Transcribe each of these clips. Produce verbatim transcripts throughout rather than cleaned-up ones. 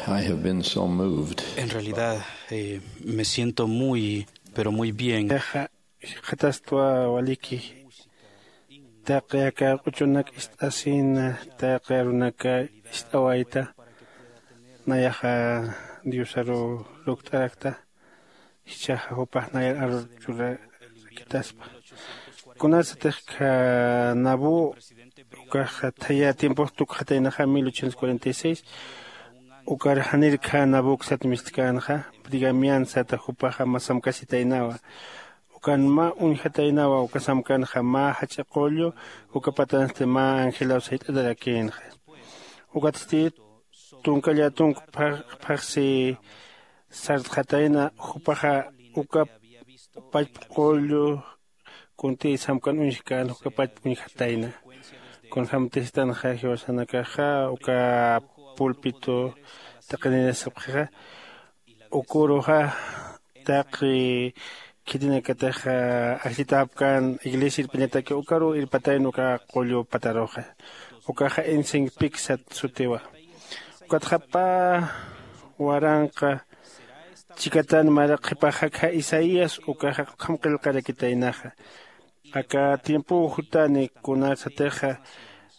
I have been so moved. En realidad, eh, me siento muy, pero muy bien. Nayaxa jikxatastwa waliki. Taqi aka q'uchunak ist'asina, taqi arunaka ist'awayta. Nayaxa Diosaru lukt'arakta. Jichhaxa jupax nayar arur churakitaspa. Kunasatix kha Nabú ukaxa thaya tiempox tukxataynaxa mil ochocientos cuarenta y seis, ukar janir kha Nabuk sat mistkänxa, Brigamian sata jupaxa mä samkasitaynawa. Ukan mä uñjataynawa, uka samkanxa mä jach'a qullu, uka patansti mä angelaw sayt'atarakïnxa. Ukatsti tunka llatunk phax-, phaxsi sartxatayna, jupaxa uka pachpa qullu kuntï samkan uñjkän, uka pachpa uñjatayna. Kunjämtistanxa jiwasanakaxa uka púlpito taqininas sapxixa, uküruxa taqi khitinakatix ajllitäpkän iglesia irpiñataki ukaru irpatayna uka qullu pataruxa. Ukaxa Ensign Peak sat sutiwa. Ukatxa pä waranqa chikatan mara qhipax jakja Isaías ukaxa ukham qillqarakitaynaxa. Aka tiempow jutani kunasatixa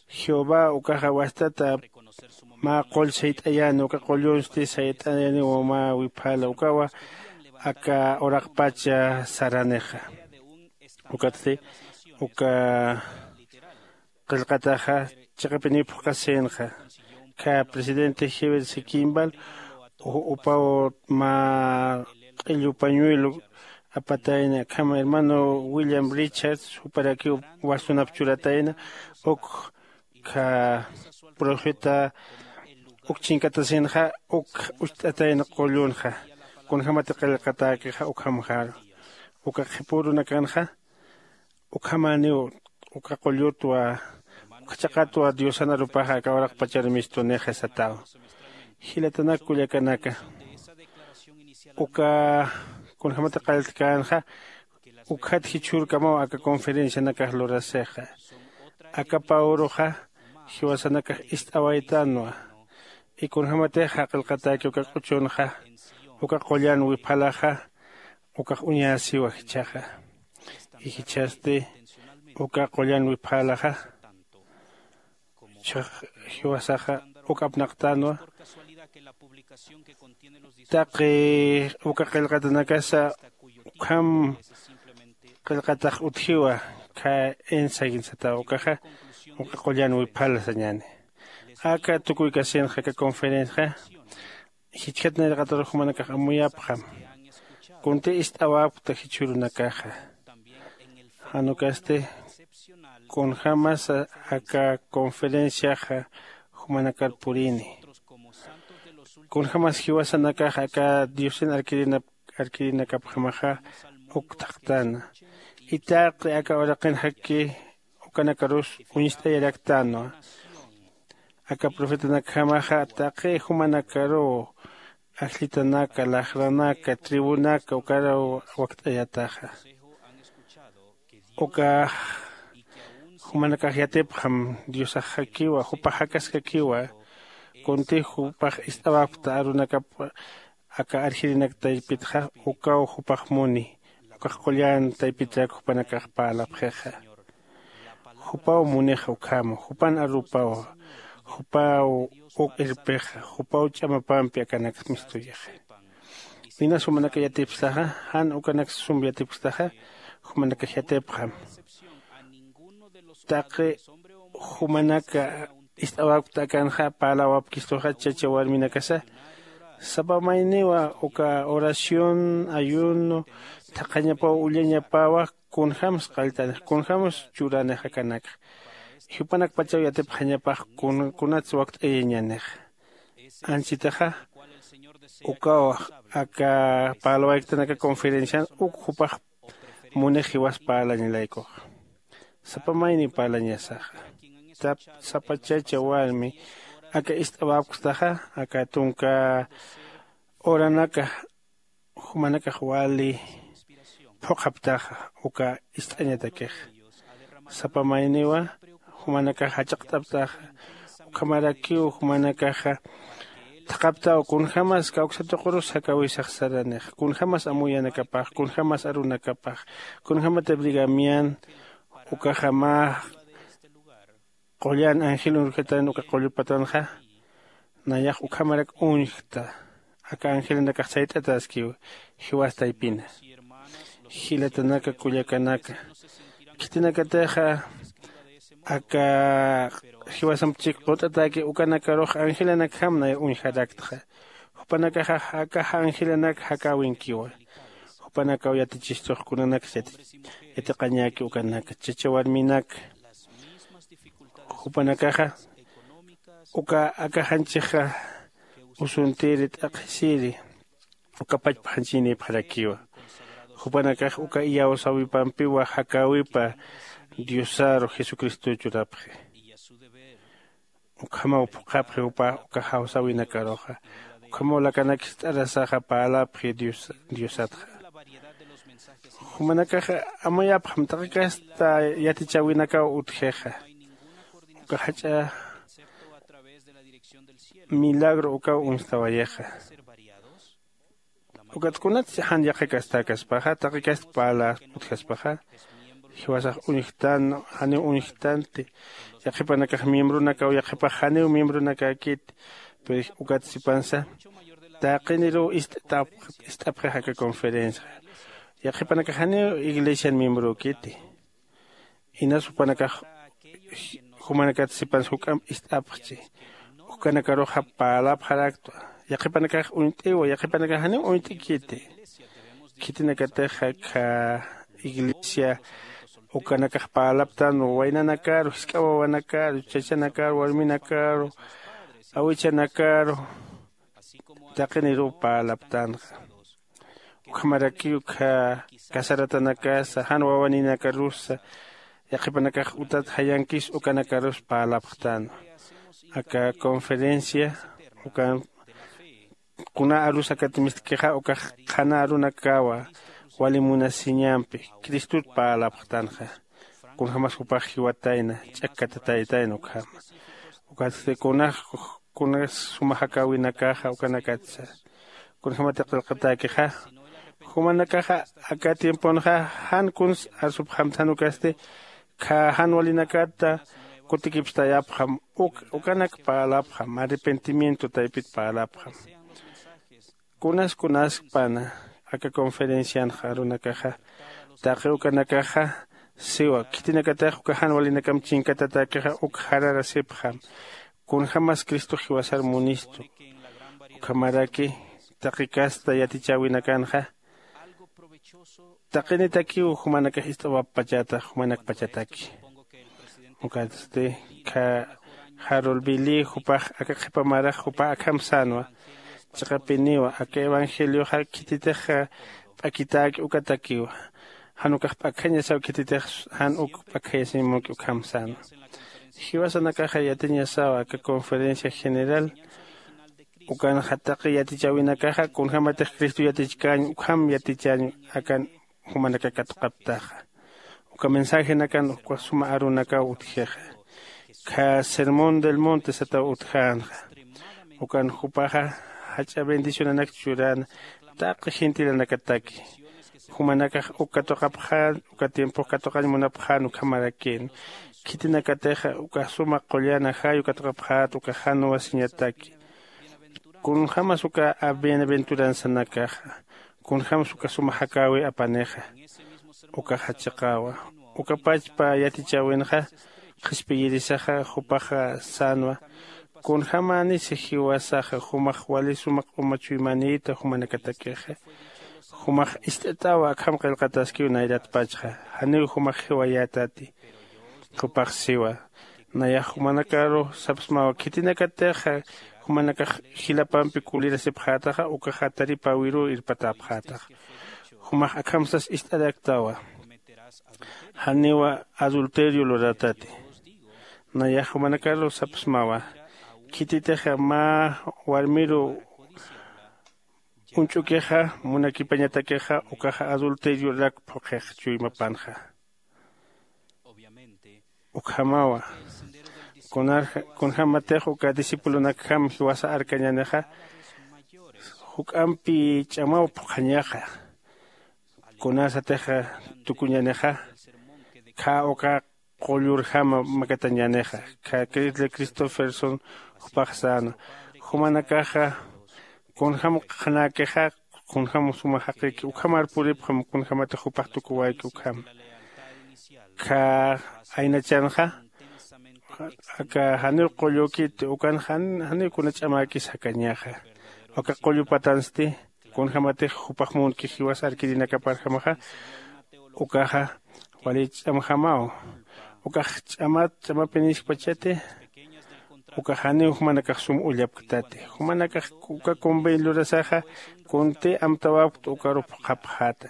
Jehová ukaxa wastata mä qull sayt'ayäni, uka qullunsti sayt'ayäniwa mä wiphala, ukawa aka uraqpacha saranixa. Ukatsti uka qillqataxa chiqapiniw phuqhasïnxa. Kha presidente Heber C. Kimball u-, upaw mä q'illu pañuelo apatayna, akham hermano William Richards juparakiw wastunap churatayna, uk kha profeta uk chinkatasinxa, uk ucht'atayna qullunxa. Kunjämati qillqatäkixa ukhamxaru. Uka qhipürunakanxa ukhamäniw uka qullutwa, uka chaqatwa Diosan arupaxa aka uraqpachar mistunixa sataw. Jilatanak kullakanaka, uka kunjämati qalltkänxa, ukjat jichhürkamaw aka conferencianakax lurasixa. Aka pä uruxa jiwasanakax ist'awaytanwa. Y kunjämatixa qillqatäki uka q'uchunxa, uka qullan wiphalaxa, ukax uñäsiwa jichhaxa. Y jichhasti uka qullan wiphalaxa, jichhax jiwasaxa uk apnaqtänwa. Taqi uka qillqatanakasa ukham qillqatax utjiwa, kha Ensign sataw, ukaxa uka qullan wiphala sañäni. Aka tukuykasinxa aka conferenciaxa jichhat nayraqatarux jumanakax amuyapxam. Kuntï ist'awapkta jichhürunakaxa. Jan ukasti kunjämasa aka conferenciaxa jumanakar purini. Kunjämas jiwasanakax aka Diosin arkirinap-, arkirinakapjamaxa uk thaqtäna. Itaqi aka uraqinxaki ukanakarus uñst'ayaraktanwa. Aka profetanakjamaxa taqi jumanakaruw ajllitanaka, laxranaka, tribunaka ukaraw wakt'ayataxa. Ukax jumanakax yatipxam Diosaxakiwa, jupax jakaskakiwa, kuntï jupax ist'awapkta arunakap aka arjirinak taypitxa, ukaw jupax muni, ukax qullan taypitrak jupanakax parlapxixa. Jupaw munixa ukhama, jupan arupawa, jupaw uk irpixa, jupaw ch'amapampi akanak mistuyixa. Inas jumanaka yatipkstaxa, jan ukanak sum yatipkstaxa, jumanakax yatipxam. Taqi jumanaka ist'awapkta akanxa parlawapkistuxa chacha warminakasa, sapa mayniwa uka oración, ayuno, thaqhañapaw ullañapawa, kunjämsa qalltanix, kunjämsa churanix akanakxa. Jupanakpachaw yatipxañapax kun-, kunats wakt'ayañanix. Anchitaxa ukaw aka parlawayktanaka conferencian uk jupax munix jiwas parlañalaykuxa. Sapa mayniw parlañasaxa. Tap-, sapa chacha warmi aka ist'awapkstaxa, aka tunka uranaka jumanakax wali phuqhaptaxa uka ist'añatakixa. Sapa mayniwa jumanakax jach'aqt'aptaxa, ukhamarakiw jumanakaxa Thaqaptaw kunjämas kawksatuqurus jakäwisax saranix, kunjämas amuyanakapax, kunjämas arunakapax, kunjämatix brigamian ukaxamax qullan angel urjatan uka qullupatanxa. Nayax ukhamarak uñjta. Aka angelanakax sayt'ataskiw jiwas taypina. Jilatanaka kullakanaka, khitinakatixa aka jiwasamp chik qut'ataki ukanakarux angelanakjam nay uñjaraktxa. Jupanakaxa aka angelanak jakäwinkiwa. Jupanakaw yatichistux kunanaksa yatiqañäki ukanaka chacha warminak. Jupanakaxa uka aka janchixa usuntiri t'aqhisiri uka pachpa janchiynïpxarakiwa. Jupanakax uka iyawsäwipampiwa jakäwipa diosaru jesucristo churapxi. Ukhamaw phuqhapxi jupa uka jawsäwinakaruxa. Ukhamaw lakanakist'arasaxa parlapxi diosatxa. Jumanakaxa amayapxam taqi kasta yatichäwinakaw utjixa. Uka jach'a milagro ukaw uñstawayixa. Ukat kunatsi jan yaqha kastakaspaxa taqi kasta parla utjaspaxa jiwasax uñjtan janiw uñjtanti. Yaqhipanakax miembronakaw yaqhipax janiw miembronakäkiti. Pero ukat sipansa taqiniruw ist'apxix aka conferencia. Yaqhipanakax janiw iglesian miembrökiti. Inas jupanakax jumanakat sipansa juk'amp ist'apxchi. Ukanakaruxa parlapxaraktwa. Yaqhipanakax uñt'iwa yaqhipanakax janiw uñt'ikiti. Khitinakatixa kha iglesia ukanakax parlaptan waynanakaru jisk'a wawanakaru chachanakaru warminakaru awichanakaru taqiniruw parlaptanxa. Ukhamarakiw ukkha casaratanakasa jan wawaninakarusa yaqhipanakax utat jayankis ukanakarus parlapxtänwa. Aka conferencia ukan kuna arus akat mistkixa ukax qhana arunakawa wali munasiñampi cristot parlapxtanxa. Kunjämas jupax jiwatayna ch'akkatataytayna ukhama. Ukatsti kunax kunas suma jakäwinakaxa ukanakatsa kunjämati qillqatäkixa. Jumanakaxa aka tiemponxa jan kuns arsupxamthan ukasti kha jan walinakata kutikipstayapxam. Uk ukanak parlapxam arrepentimiento taypit parlapxam. Kunas kunaskpana aka conferencianxa arunakaxa taqi ukanakaxa siwa khitinakatix uka jan walinakamp chinkatatäkixa uk jararasipxam. Kunjämas cristox jiwasar munistu. Ukhamaraki taqi kasta yatichäwinakanxa taqinitakiw jumanakax ist'awappachata jumanakpachataki. Ukatsti kha jarulbili jupax aka qhipa marax jupa akham sänwa. Chiqapiniwa aka evangelioxa khititix p'akitäki ukatakiwa. Jan ukax p'akjañasaw khititix jan uk p'akjayasiñ munki ukham sänwa. Jiwasanakaxa yatiñasaw aka conferencia general ukanxa taqi yatichäwinakaxa kunjämatix cristo yatichkäñ ukham yatichäñ akan jumanaka katuqaptaxa. Uka mensajenakan uka suma arunakaw utjixa kha sermón del monte sataw utjänxa. Ukan jupaxa jach'a bendicionanak churäna taqi gentilanakataki. Jumanakax uk katuqapxän uka tiempox katuqañ munapxän ukhamarakïn. Khitinakatixa uka suma qullan ajayu katuqapxät uka jan wasiñataki. Kunjämas uka bienaventuranzanakaxa kunjämas uka suma jakäwi apanixa. Ukaxa chiqawa uka pachpa yatichäwinxa qhispiyirisaxa jupaxa sänwa. Kunjämänisa jiwasaxa jumax wali suma q'uma chuymanïta jumanakatakixa. Jumax ist'atawa akham qillqataskiw nayratpachxa janiw jumax jiwayätati. Jupax siwa nayax jumanakaru sapsmawa khitinakatixa jumanakax jilapampi kulirasipxätaxa ukaxa taripäwiruw irpatäpxätaxa. Jumax akham sas ist'araktawa janiwa adulterio lurätati. Nayax jumanakaru sapsmawa khititixa mä warmiru uñch'ukixa munakipañatakixa ukaxa adulteriorak phuqhix chuymapanxa. Ukhamawa Kunarja kunjämatix uka discipulonakjam jiwasa arkañänixa juk'ampi ch'amaw phuqhañaxa. Kunasatix tukuñänixa khä uka qullurjama makatañänixa khä Christopherson jupax säna. Jumanakaxa kunjäm qhanäkixa kunjäm suma jaqïki ukhamar puripxam kunjämatix jupax tukuwayki ukhama. Khä aynachanxa aka janiw qullükiti ukan janiw kuna ch'amäkis jakañaxa. Aka qullu patansti kunjämatix jupax munki jiwas arkirinakaparjamaxa ukaxa wali ch'amjamaw. Ukax ch'amat ch'amapiniskpachati ukax janiw jumanakax sum ullapktati. Jumanakax uka convenio lurasaxa kunti amtawapkta ukaru phuqhapxäta.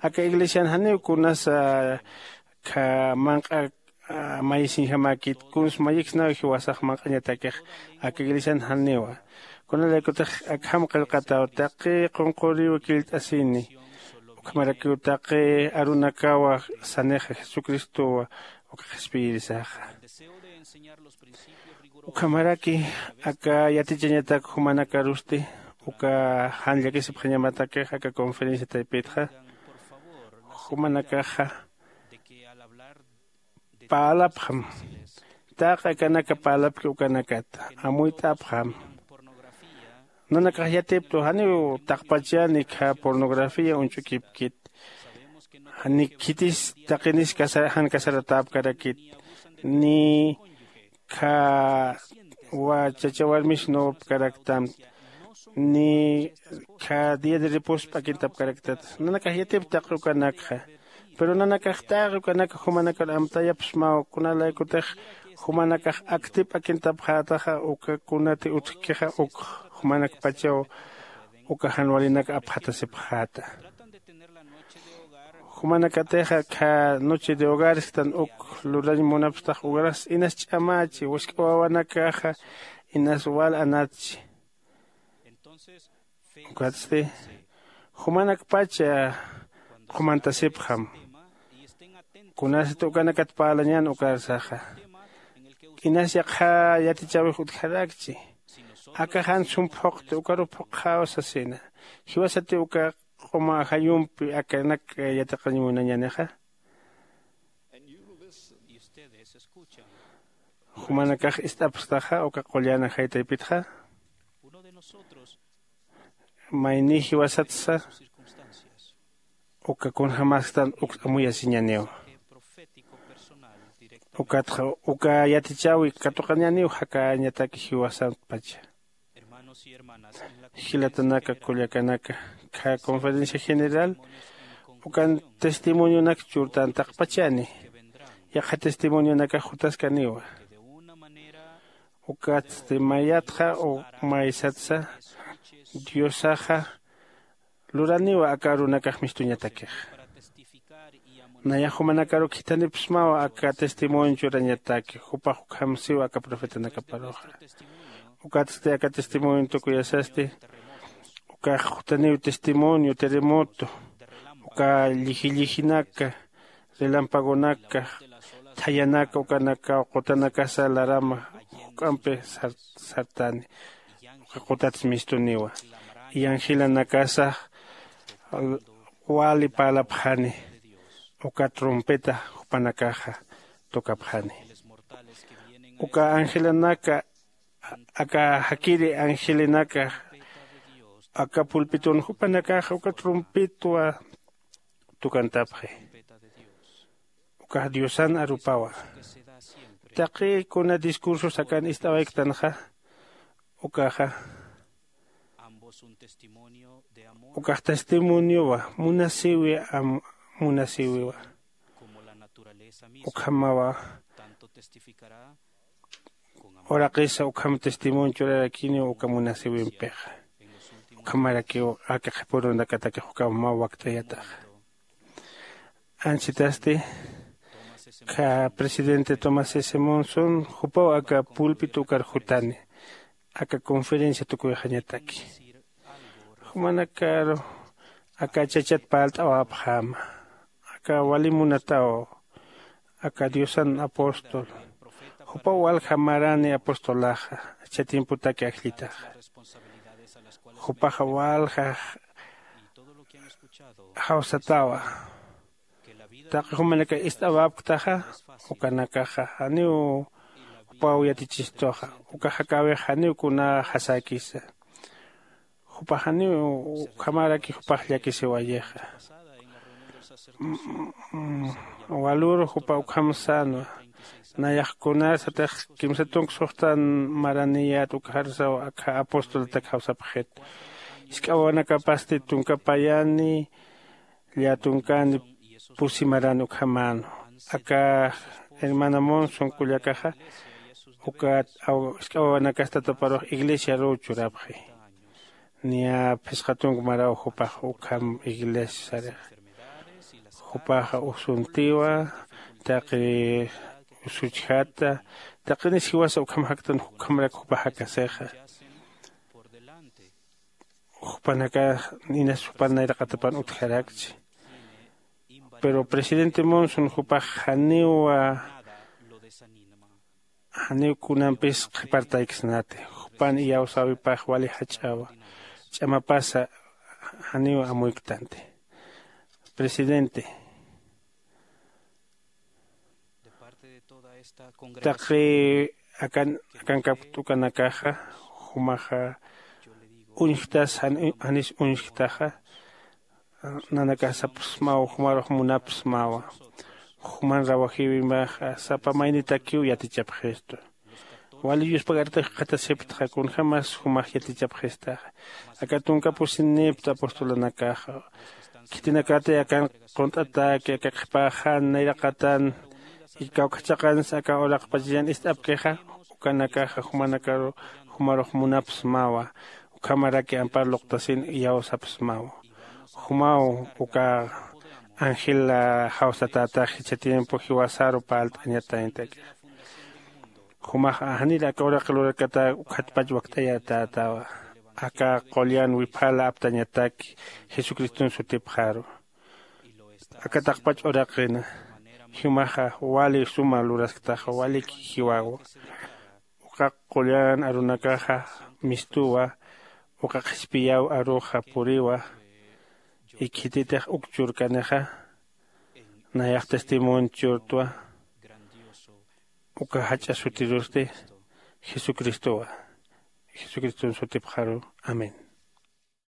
Aka iglesian janiw kunasa kha manq'a mayisiñjamäkit kuns mayiksnaw jiwasax manq'añatakix aka iglesian janiwa. Kunalaykutix akham qillqataw taqi qunquriw killt'asini ukhamarakiw taqi arunakawa sanixa jesucristowa uka qhispiyirisaxa. Ukhamaraki aka yatichañatak jumanakarusti uka jan llakisipxañamatakix aka conferencia taypitxa jumanakaxa parlapxam taqi akanaka parlapki ukanakata amuyt'apxam. Nanakax yatiptu janiw taqpachani khä pornografía uñch'ukipkit ni khitis taqinis jan casaratäpkarakit ni khä chacha warmis nuwapkaraktam ni khä día de reposo p'akintapkaraktat nanakax yatip taqi ukanakxa. Pero nanakax taqi ukanaka jumanakar amtayapxsmaw kunalaykutix jumanakax akti p'akintapxätaxa uka kunati utjkixa uk jumanakpachaw uka jan walinak apxatasipxäta. Jumanakatixa khä noche de hogares jtan uk lurañ munapxtax ukaras inas ch'amächi wisk'a wawanakaxa inas wal anatchi. Ukatsti jumanakpacha qhumantasipxam kunasat ukanakat parlañän ukarsaxa inas yaqha yatichäwix utjarakchi. Aka jan sum phuqti ukaruw phuqxäw sasina. Jiwasatiw uka q'uma ajayumpi akanak yatiqañ munañänixa. Jumanakax ist'apxtaxa uka qullan ajay taypitxa mayniy jiwasatsa uka kunjämäsktan uk amuyasiñäniw. Ukatxa uka yatichäwi katuqañäniw jakañataki jiwasatpacha. Jilatanaka kullakanaka khä conferencia general ukan testimonionak churtantaqpachani. Yaqha testimonionakax jutaskaniwa. Ukatsti mayatxa o maysatsa diosaxa luraniwa aka arunakax mistuñatakixa. Nayax jumanakaruk jithanipxsmawa aka testimonio churañataki jupax ukham siwa aka profetanakaparuxa. Ukatsti aka testimonio tukuyasasti ukax jutaniw testimonio terremoto uka llijillijinaka relampagonaka thayanaka ukanakaw qutanakasa larama juk'ampi sartani. Uka qutats mistuniwa y angelanakasa wali parlapxani uka trompeta jupanakaxa tocapxani. Uka angelanaka aka jakiri angelenaka aka pulpitun jupanakaxa uka trompetwa tocantapxi. Ukax diosan arupawa. Taqi kuna discursos akan ist'awayktanxa ukaxa ukax testimoniowa munasiwi am munasiwiwa. Ukhamawa uraqisa ukham testimonio churarakiniw uka munasiwimpixa. Ukhamarakiw aka qhipürunakatakix ukhamaw wakt'ayataxa. Anchitasti kha presidente tomás s monson jupaw aka pulpito ukar jutani aka conferencia tukuyxañataki. Jumanakaru aka chachat parlt'awapxäma aka wali munataw aka diosan apóstol Jupaw walja marani apostolaxa, ichha tiempotaki ajllitaxa. Jupaxa walja jawsatawa. Taqi jumanakax ist'awapktaxa, ukanakaxa janiw jupaw yatichistuxa. Uka jakäwix janiw kuna jasäkisa. Jupax janiw ukhamaraki jupax llakisiwayixa. Walur jupa ukham sänwa. Nayax kunarsatix kimsa tunka suxtan maraniyät ukxarsaw akha apostoltak jawsapxit. Jisk'awanakapasti tunka payani, lläta tunkani pusi marani ukhamänu. Aka hermana Monson kullakaxa ukat jisk'a wawanakasti tataparux iglesiaruw churapxi. Niya phisqa tunka maraw jupax ukham iglesia sarix. Jupaxa usuntiwa, taqi usuchjata, taqinis jiwasa ukham jaktan, ukhamarak jupax jakasixa. Jupanakax inas jupan nayraqatapan utjarakchi. Pero presidente Monson jupax janiw janiw kunampis qhipartayksnati. Jupan iyawsäwipax wali jach'awa. Ch'amapasa janiw amuyktanti. Presidente, taqi akan akankapkta ukanakaxa, jumaxa uñjtas janis uñjtaxa. Nanakax sapxsmaw jumarux munapxsmawa. Juman rawajïwimaxa sapa maynitakiw yatichapxistu. Wali yuspagartix jikxatasiptxa kunjämas jumax yatichapxistaxa. Aka tunka pusinipta apostolanakaxa, khitinakatay akan qunt'ataki aka qhipaxan nayraqatan, kawkha chiqansa aka uraqpachallan ist'apkixa, ukanakaxa jumanakaru jumarux munapxsmawa. Ukhamaraki ampar luqtasin iyawsapxsmawa. Jumaw uka angel jawsatätax jichha tiempo jiwasaru parlt'añatañataki. Jumax janir aka uraqi lurakata ukhatpach wakt'ayatätawa. Aka qullan wiphala aptañataki jesucriston sutipxaru. Aka taqpach uraqina jumaxa wali suma lurasktaxa, waliki jiwawa. Uka qullan arunakaxa mistuwa. Uka qhispiyaw aruxa puriwa. Ikhititix uk churkanixa nayax testimonio churtwa. Uka jach'a sutirusti jesucristowa. Jesucriston sutipxaru. Amén.